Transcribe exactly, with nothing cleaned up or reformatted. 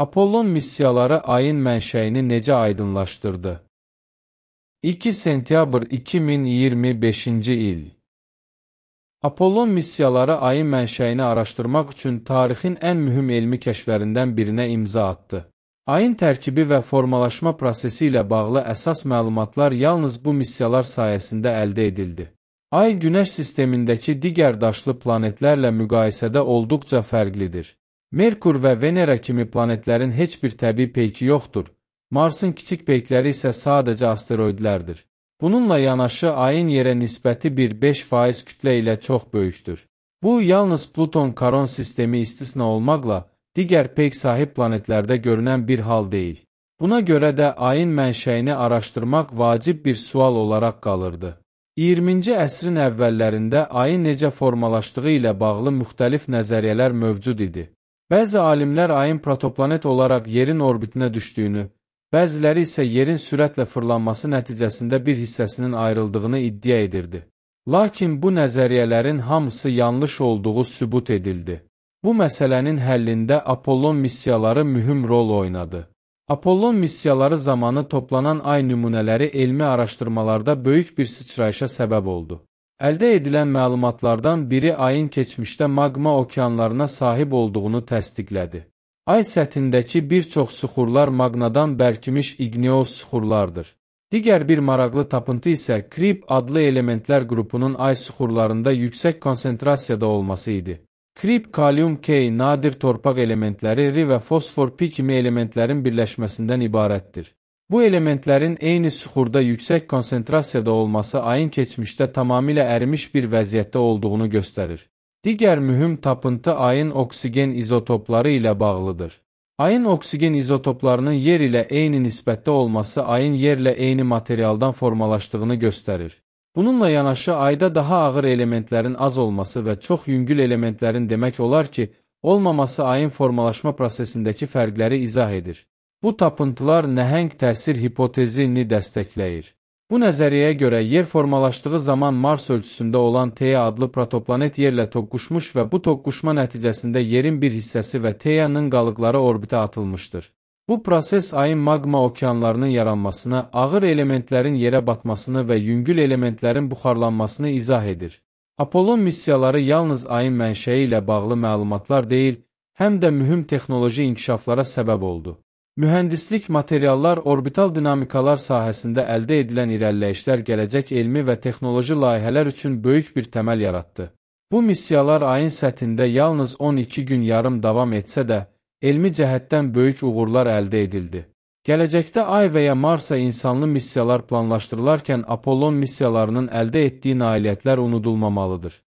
Apollon missiyaları ayın mənşəyini necə aydınlaşdırdı? iki sentyabr iki min iyirmi beşinci il. Apollon missiyaları ayın mənşəyini araşdırmaq üçün tarixin ən mühüm elmi kəşflərindən birinə imza atdı. Ayın tərkibi və formalaşma prosesi ilə bağlı əsas məlumatlar yalnız bu missiyalar sayəsində əldə edildi. Ay, Günəş sistemindəki digər daşlı planetlərlə müqayisədə olduqca fərqlidir. Merkur və Venera kimi planetlərin heç bir təbii peyki yoxdur. Marsın kiçik peykləri isə sadəcə asteroidlərdir. Bununla yanaşı ayın yerə nisbəti bir beş faiz kütlə ilə çox böyükdür. Bu, yalnız Pluton Karon sistemi istisna olmaqla digər peyk sahib planetlərdə görünən bir hal deyil. Buna görə də ayın mənşəyini araşdırmaq vacib bir sual olaraq qalırdı. iyirminci əsrin əvvəllərində ayın necə formalaşdığı ilə bağlı müxtəlif nəzəriyyələr mövcud idi. Bəzi alimlər ayın protoplanet olaraq yerin orbitinə düşdüyünü, bəziləri isə yerin sürətlə fırlanması nəticəsində bir hissəsinin ayrıldığını iddia edirdi. Lakin bu nəzəriyyələrin hamısı yanlış olduğu sübut edildi. Bu məsələnin həllində Apollon missiyaları mühüm rol oynadı. Apollon missiyaları zamanı toplanan ay nümunələri elmi araşdırmalarda böyük bir sıçrayışa səbəb oldu. Əldə edilən məlumatlardan biri ayın keçmişdə maqma okeanlarına sahib olduğunu təsdiqlədi. Ay səthindəki bir çox süxurlar maqnadan bərkimiş igneous süxurlardır. Digər bir maraqlı tapıntı isə Krip adlı elementlər qrupunun ay süxurlarında yüksək konsentrasiyada olması idi. Krip, kalium K, nadir torpaq elementləri R və fosfor P kimi elementlərin birləşməsindən ibarətdir. Bu elementlərin eyni süxurda yüksək konsentrasiyada olması ayın keçmişdə tamamilə ərimiş bir vəziyyətdə olduğunu göstərir. Digər mühüm tapıntı ayın oksigen izotopları ilə bağlıdır. Ayın oksigen izotoplarının yer ilə eyni nisbətdə olması ayın yerlə eyni materialdan formalaşdığını göstərir. Bununla yanaşı ayda daha ağır elementlərin az olması və çox yüngül elementlərin demək olar ki, olmaması ayın formalaşma prosesindəki fərqləri izah edir. Bu tapıntılar nəhəng təsir hipotezini dəstəkləyir. Bu nəzəriyyəyə görə yer formalaşdığı zaman Mars ölçüsündə olan Theia adlı protoplanet yerlə toqquşmuş və bu toqquşma nəticəsində yerin bir hissəsi və Theia'nın qalıqları orbitə atılmışdır. Bu proses ayın maqma okeanlarının yaranmasına, ağır elementlərin yerə batmasını və yüngül elementlərin buxarlanmasını izah edir. Apollon missiyaları yalnız ayın mənşəyi ilə bağlı məlumatlar deyil, həm də mühüm texnoloji inkişaflara səbəb oldu. Mühəndislik, materiallar, orbital dinamikalar sahəsində əldə edilən irəliləyişlər gələcək elmi və texnoloji layihələr üçün böyük bir təməl yaratdı. Bu missiyalar ayın səthində yalnız on iki gün yarım davam etsə də, elmi cəhətdən böyük uğurlar əldə edildi. Gələcəkdə ay və ya Marsa insanlı missiyalar planlaşdırılarkən Apollon missiyalarının əldə etdiyi nailiyyətlər unudulmamalıdır.